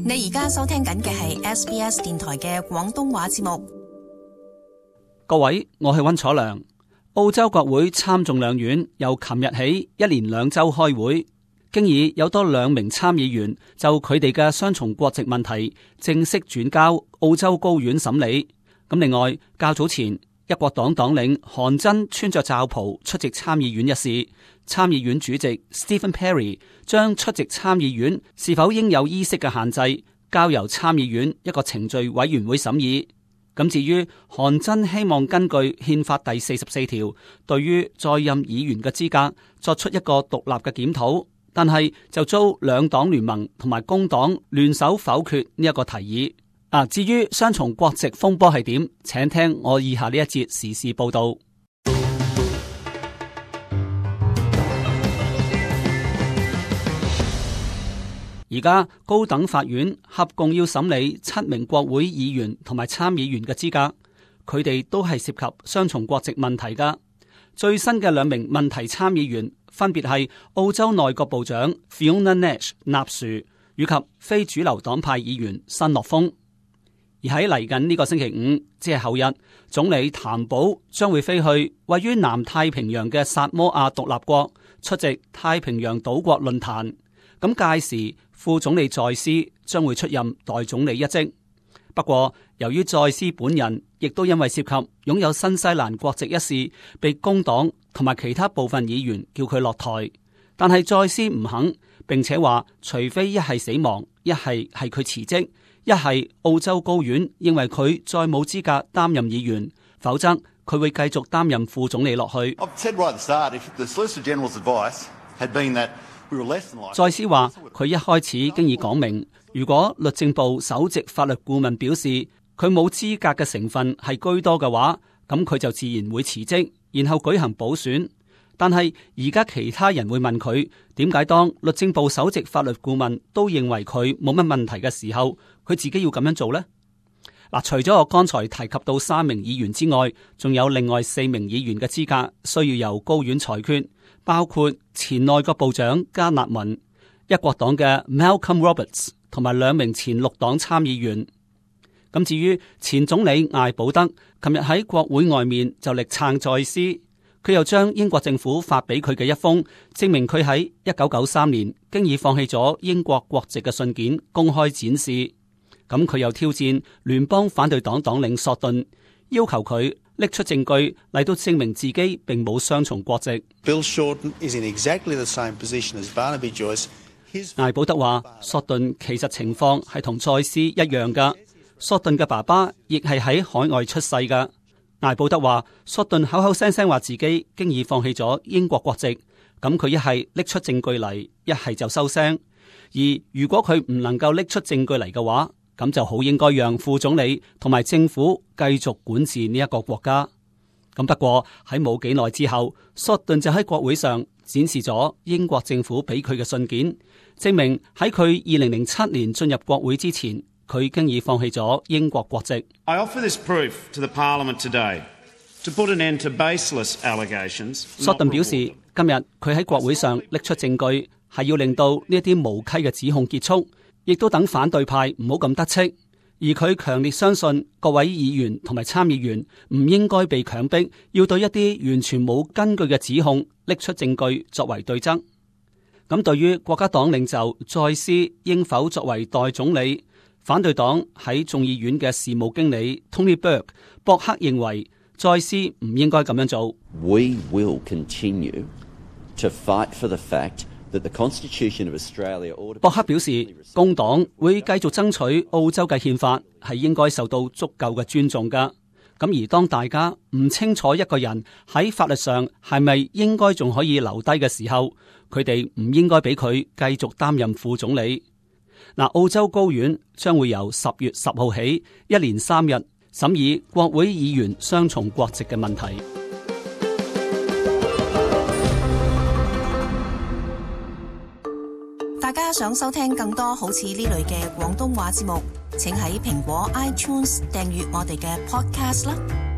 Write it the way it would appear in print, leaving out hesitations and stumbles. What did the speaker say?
你而家收聽緊嘅係 SBS 電台嘅廣東話節目。各位，我係溫楚良。澳洲國會參眾兩院由琴日起一連2週開會，經已有多2名參議員就佢哋嘅雙重國籍問題正式轉交澳洲高院審理。咁另外，較早前一國黨黨領韓真穿着罩袍出席參議院一事，參議院主席 Stephen Perry 將出席參議院是否應有衣飾嘅限制交由參議院一個程序委員會審議。咁至於韓真希望根據憲法第44條對於在任議員嘅資格作出一個獨立嘅檢討，但係就遭兩黨聯盟同埋工黨聯手否決呢一個提議。至於雙重國籍風波係點，請聽我以下呢一節時事報道。而家高等法院合共要審理7名國會議員同埋參議員嘅資格，佢哋都係涉及雙重國籍問題噶。最新嘅2名問題參議員分別係澳洲內閣部長 Fiona Nash 納殊以及非主流黨派議員新樂峰。而喺嚟緊呢個星期五，即係後日，總理譚寶將會飛去位於南太平洋嘅薩摩亞獨立國出席太平洋島國論壇。咁屆時，副總理在斯將會出任代總理一職。不過，由於在斯本人亦都因為涉及擁有新西蘭國籍一事，被工黨同埋其他部分議員叫佢落台。但係在斯唔肯，並且話除非一係死亡，一係佢辭職，一係澳洲高院認為佢再冇資格擔任議員，否則佢會繼續擔任副總理落去。在斯話佢一開始經已講明，如果律政部首席法律顧問表示佢冇資格嘅成分係居多嘅話，咁佢就自然會辭職，然後舉行補選。但係而家其他人會問佢，點解當律政部首席法律顧問都認為佢冇乜問題嘅時候，佢自己要咁樣做呢？除咗我剛才提及到3名議員之外，仲有另外4名議員嘅資格需要由高院裁決，包括前內閣部長加納文、一國黨嘅 Malcolm Roberts 同埋2名前綠黨參議員。咁至於前總理艾保德，琴日喺國會外面就力撐在斯，佢又將英國政府發俾佢嘅一封證明佢喺1993年經已放棄咗英國國籍嘅信件公開展示。咁佢又挑戰聯邦反對黨黨領索頓，要求佢拎出證據嚟到證明自己並冇雙重國籍。Bill Shorten is in exactly the same position as Barnaby Joyce. 艾保德話，索頓其實情況係同在斯一樣噶，索頓嘅爸爸亦係喺海外出世噶。艾保德話，索頓口口聲聲話自己經已放棄咗英國國籍，咁佢一係拎出證據嚟，一係就收聲。而如果佢唔能夠拎出證據嚟嘅話，咁就好應該讓副總理同埋政府繼續管治呢一個國家。咁不過喺冇幾耐之後，索頓就喺國會上展示咗英國政府俾佢嘅信件，證明喺佢2007年進入國會之前，佢經已放棄咗英國國籍。I offer this proof to the Parliament today to put an end to baseless allegations. 索頓表示，今日佢喺國會上拎出證據，係要令到呢一啲無稽嘅指控結束。亦都等反對派唔好咁得戚，而佢強烈相信各位議員同埋參議員唔應該被強迫要對一啲完全冇根據嘅指控拎出證據作為對質。咁對於國家黨領袖在斯應否作為代總理，反對黨喺眾議院嘅事務經理 Tony Burke 博克認為在斯唔應該咁樣做。We will continue to fight for the fact that 博克表示，工黨會繼續爭取澳洲嘅憲法係應該受到足夠嘅尊重㗎。咁而當大家唔清楚一個人喺法律上係咪應該仲可以留低嘅時候，佢哋唔應該俾佢繼續擔任副總理。澳洲高院將會由10月10號起一連3日審議國會議員雙重國籍嘅問題。大家想收聽更多好似呢類嘅廣東話節目，請喺蘋果 iTunes 訂閱我哋嘅 podcast 啦。